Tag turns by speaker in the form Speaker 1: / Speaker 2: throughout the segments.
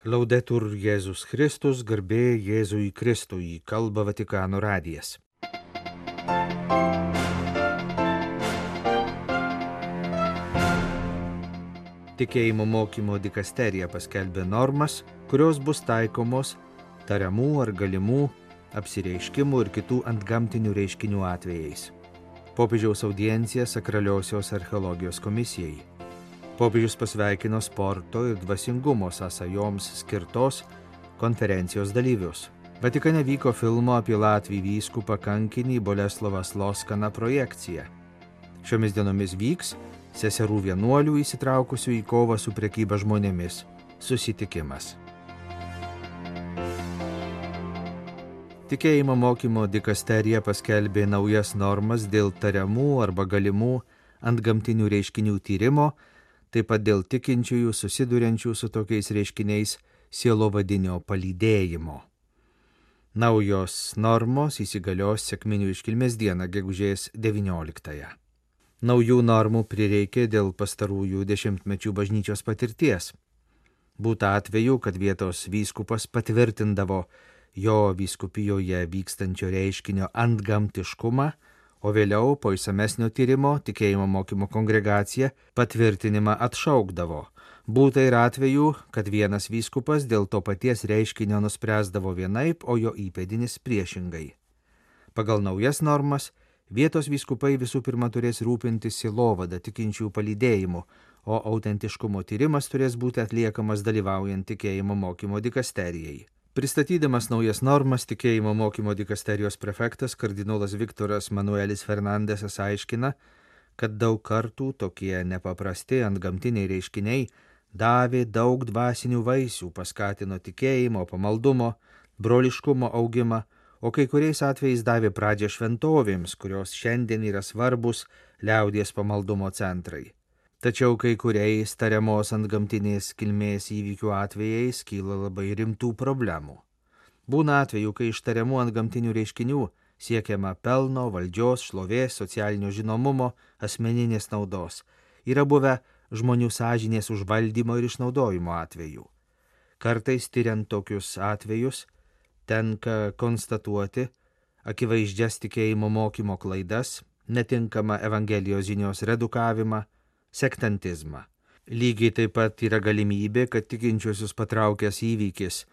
Speaker 1: Laudetur Jėzus Kristus, garbė Jėzui Kristui, kalba Vatikano radijas. Tikėjimo mokymo dikasterija paskelbė normas, kurios bus taikomos tariamų ar galimų apsireiškimų ir kitų antgamtinių reiškinių atvejais. Popiežiaus audiencija Sakraliosios archeologijos komisijai. Popiežius pasveikino sporto ir dvasingumo sąsajoms skirtos konferencijos dalyvius. Vatikane vyko filmo apie Latvijų vyskupą kankinį Boleslovą Sloskaną projekcija. Šiomis dienomis vyks seserų vienuolių įsitraukusių į kovą su prekyba žmonėmis susitikimas. Tikėjimo mokymo dikasterija paskelbė naujas normas dėl tariamų arba galimų antgamtinių reiškinių tyrimo, taip pat dėl tikinčiųjų susiduriančių su tokiais reiškiniais sielovadinio palydėjimo. Naujos normos įsigalios sekminių iškilmės dieną, gegužės 19. Naujų normų prireikė dėl pastarųjų dešimtmečių bažnyčios patirties. Būta atvejų, kad vietos vyskupas patvirtindavo jo vyskupijoje vykstančio reiškinio antgamtiškumą, o vėliau po išsamesnio tyrimo tikėjimo mokymo kongregacija patvirtinimą atšaukdavo. Būta ir atvejų, kad vienas vyskupas dėl to paties reiškinio nuspręsdavo vienaip, o jo įpėdinis priešingai. Pagal naujas normas, vietos vyskupai visų pirma turės rūpintis sielovada tikinčių palydėjimu, o autentiškumo tyrimas turės būti atliekamas dalyvaujant tikėjimo mokymo dikasterijai. Pristatydamas naujas normas, tikėjimo mokymo dikasterijos prefektas kardinolas Viktoras Manuelis Fernandesas aiškina, kad daug kartų tokie nepaprasti antgamtiniai reiškiniai davė daug dvasinių vaisių, paskatino tikėjimo, pamaldumo, broliškumo augimą, o kai kuriais atvejais davė pradžią šventovėms, kurios šiandien yra svarbus liaudies pamaldumo centrai. Tačiau kai kuriais tariamos antgamtinės kilmės įvykių atvejais kyla labai rimtų problemų. Būna atvejų, kai iš tariamų antgamtinių reiškinių siekiama pelno, valdžios, šlovės, socialinio žinomumo, asmeninės naudos. Yra buvę žmonių sąžinės užvaldymo ir išnaudojimo atvejų. Kartais tyriant tokius atvejus tenka konstatuoti akivaizdžias tikėjimo mokymo klaidas, netinkamą Evangelijos žinios redukavimą, sektantizmą. Lygiai taip pat yra galimybė, kad tikinčiuosius patraukęs įvykis,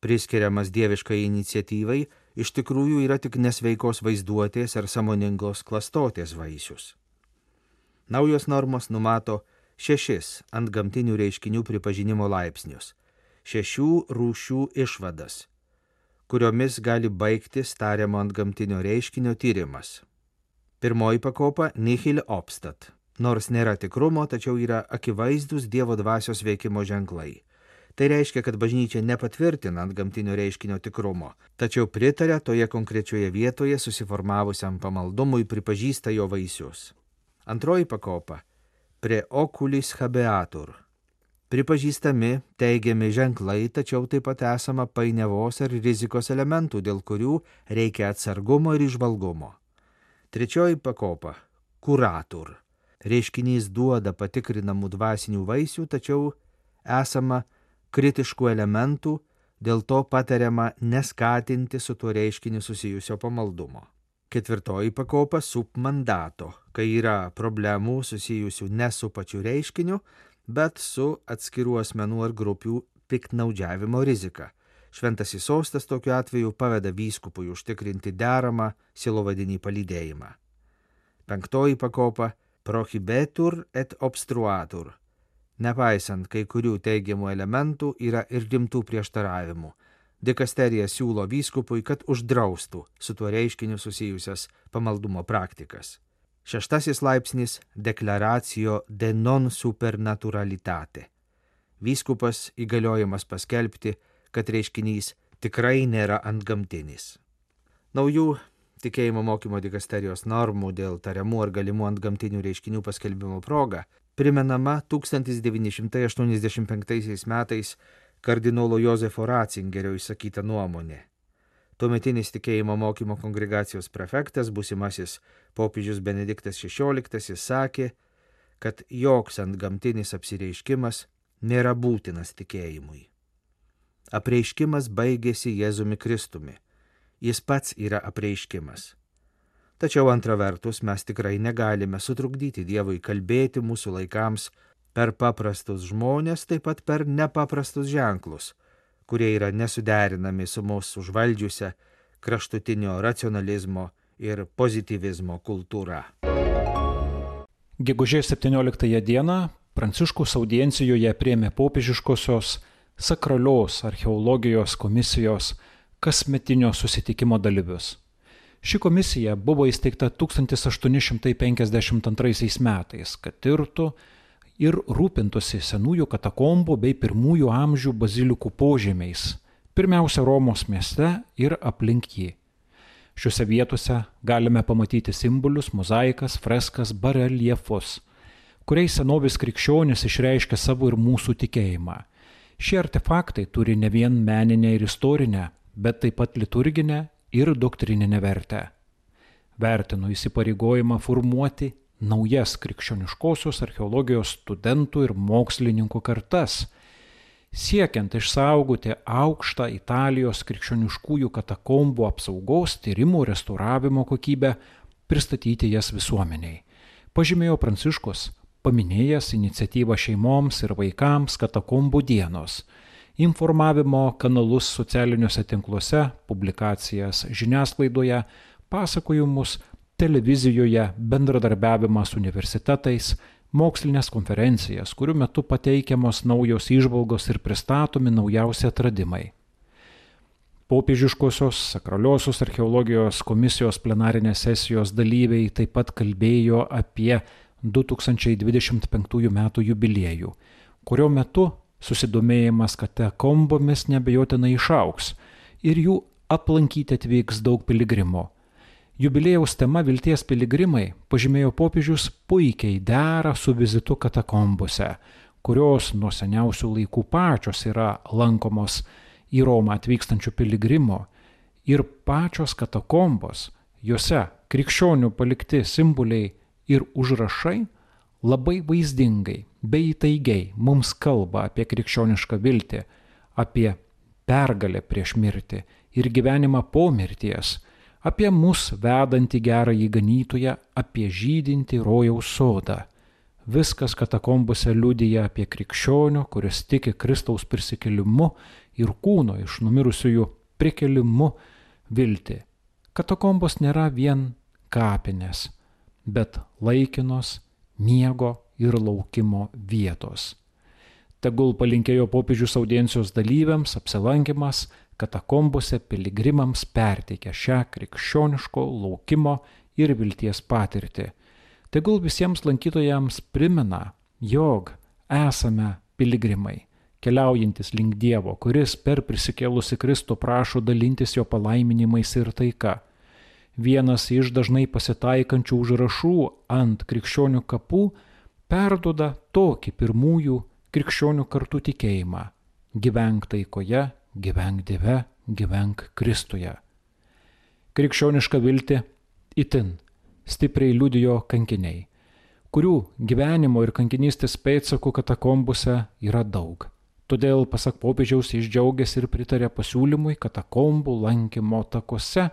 Speaker 1: priskiriamas dieviškai iniciatyvai, iš tikrųjų yra tik nesveikos vaizduotės ar sąmoningos klastotės vaisius. Naujos normos numato 6 antgamtinių reiškinių pripažinimo laipsnius, 6 rūšių išvadas, kuriomis gali baigtis tariamo antgamtinio reiškinio tyrimas. Pirmoji pakopa nihil obstat. Nors nėra tikrumo, tačiau yra akivaizdus Dievo dvasios veikimo ženklai. Tai reiškia, kad bažnyčia nepatvirtina antgamtinio reiškinio tikrumo, tačiau pritaria toje konkrečioje vietoje susiformavusiam pamaldumui, pripažįsta jo vaisius. Antroji pakopa pre oculis habeatur. Pripažįstami teigiami ženklai, tačiau taip pat esama painiavos ar rizikos elementų, dėl kurių reikia atsargumo ir įžvalgumo. Trečioji pakopa curatur. Reiškinys duoda patikrinamų dvasinių vaisių, tačiau esama kritiškų elementų, dėl to patariama neskatinti su tuo reiškiniu susijusio pamaldumo. Ketvirtoji pakopa submandato, kai yra problemų susijusių ne su pačiu reiškiniu, bet su atskirų asmenų ar grupių piktnaudžiavimo rizika. Šventasis sostas tokiu atveju paveda vyskupui užtikrinti deramą sielovadinį palydėjimą. Penktoji pakopa prohibetur et obstruatur. Nepaisant kai kurių teigiamų elementų, yra ir rimtų prieštaravimų. Dikasterija siūlo vyskupui, kad uždraustų su tuo reiškiniu susijusias pamaldumo praktikas. 6 laipsnis declaratio de non supernaturalitate. Vyskupas įgaliojamas paskelbti, kad reiškinys tikrai nėra antgamtinis. Naujų tikėjimo mokymo dikasterijos normų dėl tariamų ar galimų antgamtinių reiškinių paskelbimo proga primenama 1985 metais kardinolo Jozefo Ratzingerio išsakyta nuomonė. Tuometinis tikėjimo mokymo kongregacijos prefektas, būsimasis popiežius Benediktas XVI, sakė, kad joks antgamtinis apsireiškimas nėra būtinas tikėjimui. apreiškimas baigėsi Jėzumi Kristumi. Jis pats yra apreiškimas. Tačiau antra vertus mes tikrai negalime sutrukdyti Dievui kalbėti mūsų laikams per paprastus žmonės, taip pat per nepaprastus ženklus, kurie yra nesuderinami su mūsų užvaldžiusią kraštutinio racionalizmo ir pozityvizmo kultūra.
Speaker 2: Gegužės 17 dieną Pranciškaus audiencijoje priėmė popiežiškosios sakralios archeologijos komisijos kasmetinio susitikimo dalyvius. Ši komisija buvo įsteigta 1852 metais, kad tirtų ir rūpintųsi senųjų katakombų bei pirmųjų amžių bazilikų požemiais, pirmiausia Romos mieste ir aplink jį. Šiuose vietose galime pamatyti simbolius, mozaikas, freskas, bareljefus, kuriais senovės krikščionys išreiškia savo ir mūsų tikėjimą. Šie artefaktai turi ne vien meninę ir istorinę, bet taip pat liturginę ir doktrininę vertę. Vertinu įsipareigojimą formuoti naujas krikščioniškosios archeologijos studentų ir mokslininkų kartas, siekiant išsaugoti aukštą Italijos krikščioniškųjų katakombų apsaugos, tyrimų, restauravimo kokybę, pristatyti jas visuomeniai. Pažymėjo Pranciškus, paminėjęs iniciatyvą šeimoms ir vaikams katakombų dienos, informavimo kanalus socialiniuose tinkluose, publikacijas žiniasklaidoje, pasakojimus televizijoje, bendradarbiavimą su universitetais, mokslinės konferencijas, kurių metu pateikiamos naujos įžvalgos ir pristatomi naujausi atradimai. Popiežiškosios sakraliosios archeologijos komisijos plenarinės sesijos dalyviai taip pat kalbėjo apie 2025 metų jubiliejų, kurio metu susidomėjimas katakombomis neabejotinai išaugs ir jų aplankyti atvyks daug piligrimų. Jubiliejaus tema Vilties piligrimai, pažymėjo popiežius, puikiai dera su vizitu katakombose, kurios nuo seniausių laikų pačios yra lankomos į Romą atvykstančių piligrimų, ir pačios katakombos, juose krikščionių palikti simboliai ir užrašai labai vaizdingai bei įtaigiai mums kalba apie krikščionišką viltį, apie pergalę prieš mirtį ir gyvenimą po mirties, apie mus vedantį gerąjį ganytoją, apie žydintį rojaus sodą. Viskas katakombose liudija apie krikščionio, kuris tiki Kristaus prisikėlimu ir kūno iš numirusiųjų prikėlimu viltį. Katakombos nėra vien kapinės, bet laikinos miego ir laukimo vietos. Tegul palinkėjo popiežius audiencijos dalyviams apsilankymas katakombose piligrimams perteikia šią krikščioniško laukimo ir vilties patirtį. Tegul visiems lankytojams primena, jog esame piligrimai, keliaujantis link Dievo, kuris per prisikėlusi Kristų prašo dalintis jo palaiminimais ir taika. Vienas iš dažnai pasitaikančių užrašų ant krikščionių kapų perduoda tokį pirmųjų krikščionių kartų tikėjimą: gyvenk taikoje, gyvenk Dieve, gyvenk Kristuje. Krikščionišką viltį itin stipriai liudijo kankiniai, kurių gyvenimo ir kankinystės pėdsakų katakombose yra daug. Todėl, pasak popiežiaus, jis džiaugiasi ir pritarė pasiūlymui katakombų lankymo takuose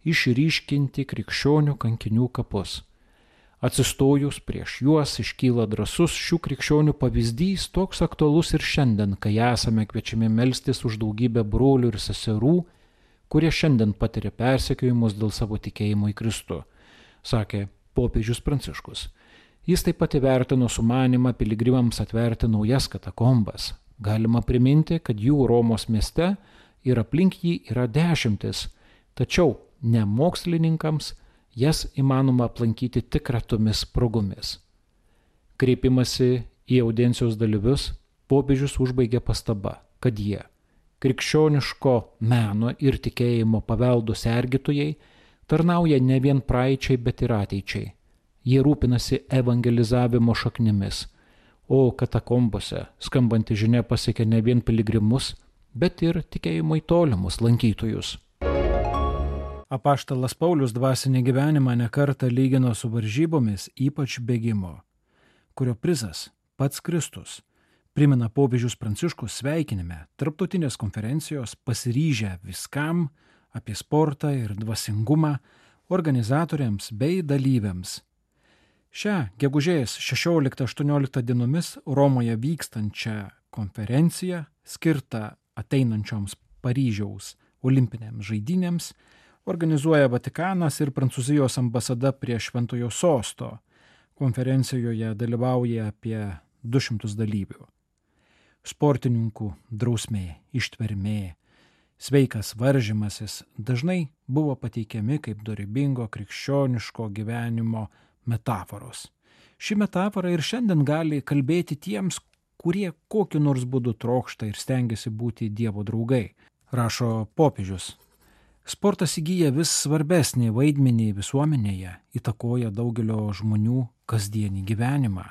Speaker 2: išryškinti krikščionių kankinių kapus. Atsistojus prieš juos iškyla drąsus šių krikščionių pavyzdys, toks aktualus ir šiandien, kai esame kviečiami melstis už daugybę brolių ir seserų, kurie šiandien patiria persekiojimus dėl savo tikėjimo į Kristų, sakė popiežius Pranciškus. Jis taip pat įvertino sumanimą piligrimams atverti naujas katakombas. Galima priminti, kad jų Romos mieste ir aplink jį yra 10, tačiau ne mokslininkams jas įmanoma aplankyti tik retomis progomis. Kreipimasi į audiencijos dalyvius, popiežius užbaigė pastaba, kad jie, krikščioniško meno ir tikėjimo paveldo sergėtojai, tarnauja ne vien praeičiai, bet ir ateičiai. Jie rūpinasi evangelizavimo šaknimis, o katakombose skambanti žinia pasiekia ne vien piligrimus, bet ir tikėjimo į tolimus lankytojus.
Speaker 3: Apaštalas Paulius dvasinį gyvenimą nekartą lygino su varžybomis, ypač bėgimo, kurio prizas pats Kristus, primena popiežius Pranciškus sveikinime tarptautinės konferencijos pasiryžę viskam apie sportą ir dvasingumą organizatoriams bei dalyviams. Šią gegužės 16-18 dienomis Romoje vykstančią konferenciją skirtą ateinančioms Paryžiaus olimpinėms žaidynėms organizuoja Vatikanas ir Prancūzijos ambasada prie Šventojo Sosto. Konferencijoje dalyvauja apie 200 dalyvių. Sportininkų drausmė, ištvermė, sveikas varžymasis dažnai buvo pateikiami kaip dorybingo krikščioniško gyvenimo metaforos. Ši metafora ir šiandien gali kalbėti tiems, kurie kokiu nors būdu trokšta ir stengiasi būti Dievo draugai, rašo popiežius. Sportas įgyja vis svarbesnį vaidmenį visuomenėje, įtakoja daugelio žmonių kasdienį gyvenimą.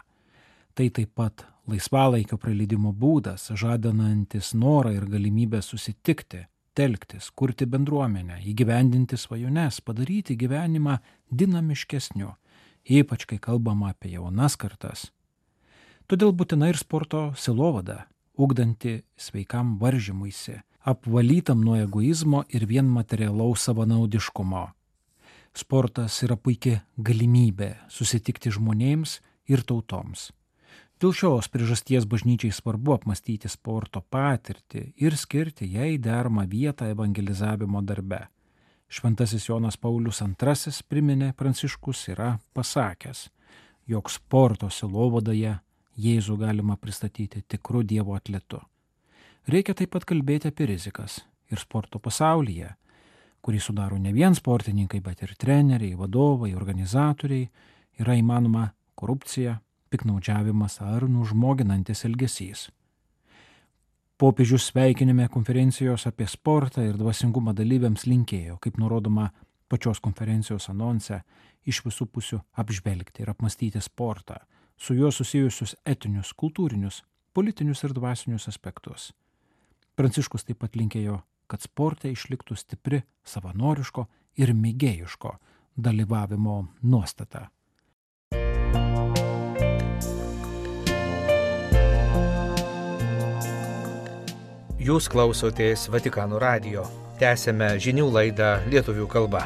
Speaker 3: Tai taip pat laisvalaikio praleidimo būdas, žadantis norą ir galimybę susitikti, telktis, kurti bendruomenę, įgyvendinti svajones, padaryti gyvenimą dinamiškesniu, ypač kai kalbama apie jaunas kartas. Todėl būtina ir sporto sielovada, ugdanti sveikam varžymuisi, apvalytam nuo egoizmo ir vien materialaus savanaudiškumo. Sportas yra puikia galimybė susitikti žmonėms ir tautoms. Dėl šios priežasties bažnyčiai svarbu apmastyti sporto patirtį ir skirti jai deramą vietą evangelizavimo darbe. Šventasis Jonas Paulius II priminė Pranciškus yra pasakęs, jog sporto sielovadoje Jėzų galima pristatyti tikru Dievo atletu. Reikia taip pat kalbėti apie rizikas ir sporto pasaulyje, kurį sudaro ne vien sportininkai, bet ir treneriai, vadovai, organizatoriai, yra įmanoma korupcija, piknaudžiavimas ar nužmoginantis elgesys. Popiežius sveikinime konferencijos apie sportą ir dvasingumą dalyviams linkėjo, kaip nurodoma pačios konferencijos anonse, iš visų pusių apžvelgti ir apmastyti sportą, su juo susijusius etinius, kultūrinius, politinius ir dvasinius aspektus. Pranciškus taip pat linkėjo, kad sporte išliktų stipri savanoriško ir mėgėjiško dalyvavimo nuostata.
Speaker 1: Jūs klausotės Vatikano radijo. Tęsėme žinių laidą lietuvių kalba.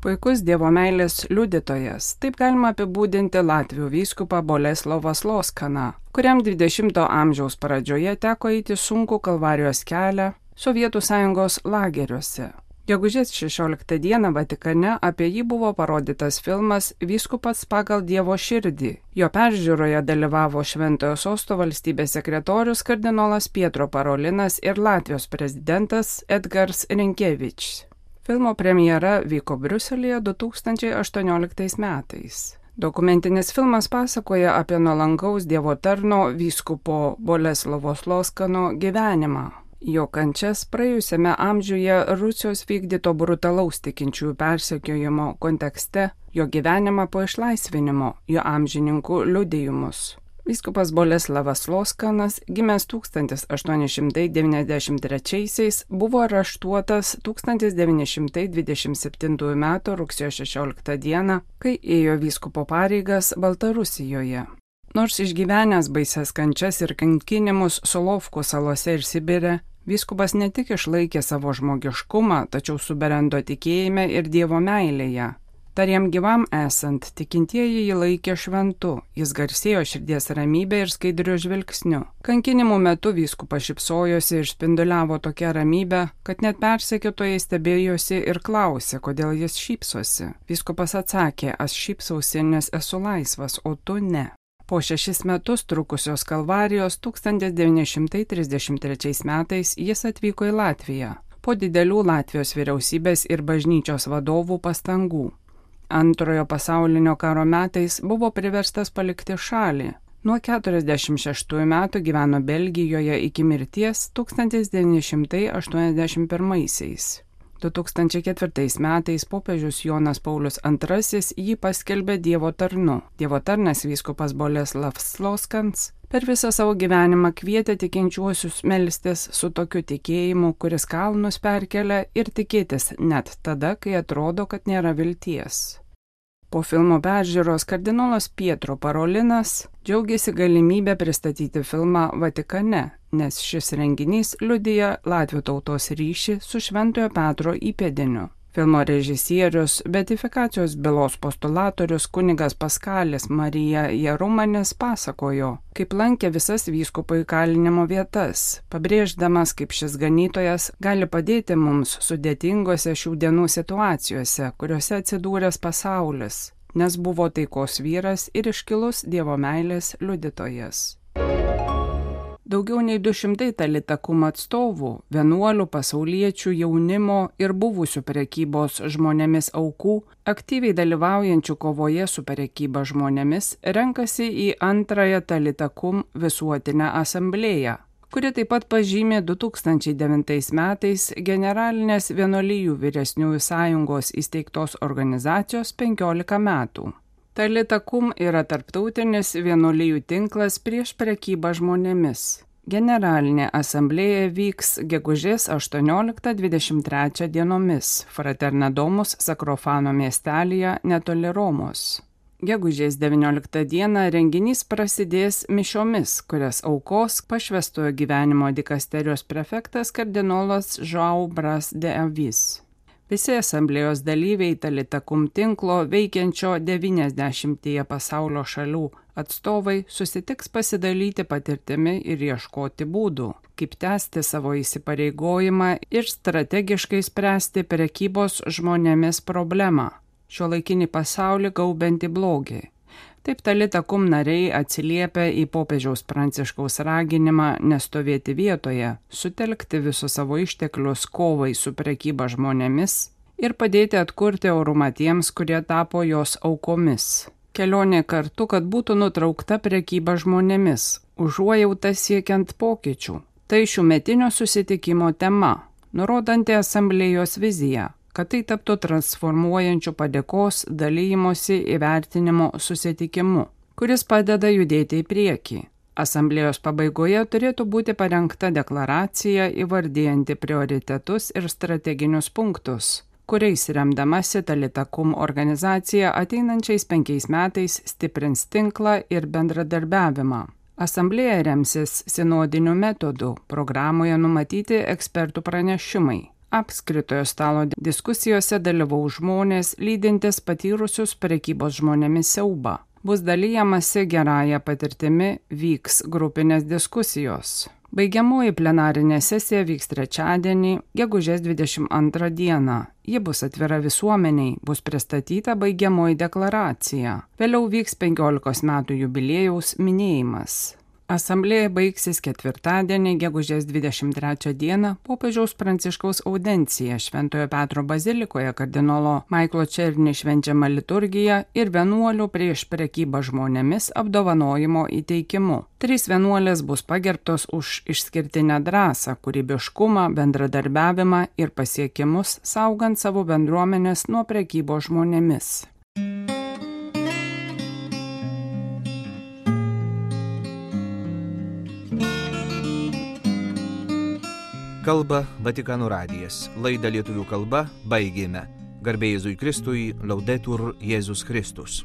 Speaker 4: Puikus Dievo meilės liudytojas, taip galima apibūdinti latvių vyskupą Boleslovą Sloskaną, kuriam 20-ojo amžiaus pradžioje teko eiti sunkų Kalvarijos kelią Sovietų Sąjungos lageriuose. Gegužės 16 dieną Vatikane apie jį buvo parodytas filmas Vyskupas pagal Dievo širdį. Jo peržiūroje dalyvavo Šventojo Sosto valstybės sekretorius kardinolas Pietro Parolinas ir Latvijos prezidentas Edgars Rinkevičius. Filmo premjera vyko Briuselyje 2018 metais. Dokumentinis filmas pasakoja apie nuolankaus Dievo tarno vyskupo Boleslovo Sloskano gyvenimą. Jo kančias praėjusiame amžiuje Rusijos vykdyto brutalaus tikinčiųjų persekiojimo kontekste, jo gyvenimą po išlaisvinimo, jo amžininkų liudijimus. Vyskupas Boleslavas Sloskanas, gimęs 1893, buvo areštuotas 1927 m. rugsėjo 16 d., kai ėjo vyskupo pareigas Baltarusijoje. Nors išgyvenęs baises kančias ir kankinimus Solovkų salose ir Sibire, vyskupas ne tik išlaikė savo žmogiškumą, tačiau subrendo tikėjime ir Dievo meilėje. Dar jam gyvam esant, tikintieji jį laikė šventu, jis garsėjo širdies ramybę ir skaidriu žvilgsniu. Kankinimų metu vyskupas šypsojosi ir spinduliavo tokią ramybę, kad net persekiotojai stebėjosi ir klausė, kodėl jis šypsosi. Vyskupas atsakė, aš šypsausi, nes esu laisvas, o tu ne. Po 6 metus trukusios Kalvarijos 1933 metais jis atvyko į Latviją, po didelių Latvijos vyriausybės ir bažnyčios vadovų pastangų. Antrojo pasaulinio karo metais buvo priverstas palikti šalį. Nuo 46 metų gyveno Belgijoje iki mirties 1981. 2004 metais popiežius Jonas Paulius II jį paskelbė Dievo tarnu. Dievo tarnas vyskupas Boleslavas Sloskans per visą savo gyvenimą kvietė tikinčiuosius melstis su tokiu tikėjimu, kuris kalnus perkelia, ir tikėtis net tada, kai atrodo, kad nėra vilties. Po filmo peržiūros kardinolas Pietro Parolinas džiaugiasi galimybę pristatyti filmą Vatikane, nes šis renginys liudija latvių tautos ryšį su Šventojo Petro įpėdiniu. Filmo režisierius, beatifikacijos bylos postulatorius kunigas Paskalis Marija Jarumanis pasakojo, kaip lankė visas vyskupo įkalinimo vietas, pabrėždamas, kaip šis ganytojas gali padėti mums sudėtingose šių dienų situacijose, kuriuose atsidūręs pasaulis, nes buvo taikos vyras ir iškilus Dievo meilės liudytojas. Daugiau nei 200 Talita Kum atstovų, vienuolių, pasauliečių, jaunimo ir buvusių prekybos žmonėmis aukų, aktyviai dalyvaujančių kovoje su prekyba žmonėmis, renkasi į antrąją Talita Kum visuotinę asamblėją, kuri taip pat pažymė 2009 metais Generalinės vienuolijų vyresniųjų sąjungos įsteigtos organizacijos 15 metų. Talita Kum yra tarptautinis vienuolijų tinklas prieš prekybą žmonėmis. Generalinė asamblėja vyks gegužės 18-23 dienomis Fraternadomus Sakrofano miestelyje netoli Romos. Gegužės 19 dieną renginys prasidės mišiomis, kurias aukos pašvęstojo gyvenimo dikasterijos prefektas kardinolas João Bras de Avis. Visi asamblėjos dalyviai Talita Kum tinklo veikiančio 90 pasaulio šalių atstovai susitiks pasidalyti patirtimi ir ieškoti būdų, kaip tęsti savo įsipareigojimą ir strategiškai spręsti prekybos žmonėmis problemą, šiuolaikinį pasaulį gaubiantį blogį. Taip Talita Kum nariai atsiliepia į popiežiaus Pranciškaus raginimą nestovėti vietoje, sutelkti visus savo išteklius kovai su prekyba žmonėmis ir padėti atkurti orumą tiems, kurie tapo jos aukomis. Kelionė kartu, kad būtų nutraukta prekyba žmonėmis, užuojauta siekiant pokyčių. Tai šiųmetinio susitikimo tema, nurodanti asamblėjos viziją, kad tai taptų transformuojančių padėkos, dalymosi, įvertinimo susitikimu, kuris padeda judėti į priekį. Asamblėjos pabaigoje turėtų būti parengta deklaracija įvardijanti prioritetus ir strateginius punktus, kuriais remdamasi Talita Kum organizacija ateinančiais 5 metais stiprins tinklą ir bendradarbiavimą. Asamblėja remsis sinodiniu metodu, programoje numatyti ekspertų pranešimai. Apskritojo stalo diskusijose dalyvaus žmonės, lydintis patyrusius prekybos žmonėmis siaubą. Bus dalyjamasi gerąją patirtimi, vyks grupinės diskusijos. Baigiamoji plenarinė sesija vyks trečiadienį, gegužės 22 dieną. Ji bus atvira visuomeniai, bus pristatyta baigiamoji deklaracija. Vėliau vyks 15 metų jubiliejaus minėjimas. Asamblėja baigsis ketvirtadienį, gegužės 23 dieną, popiežiaus Pranciškaus audencija Šventojo Petro bazilikoje kardinolo Maiklo Černi švenčiama liturgija ir vienuolių prieš prekybą žmonėmis apdovanojimo įteikimu. 3 vienuolės bus pagerbtos už išskirtinę drąsą, kūrybiškumą, bendradarbiavimą ir pasiekimus, saugant savo bendruomenės nuo prekybos žmonėmis.
Speaker 1: Kalba Vatikano radijas. Laidą lietuvių kalba baigėme. Garbė Jėzui Kristui, Laudetur Jėzus Kristus.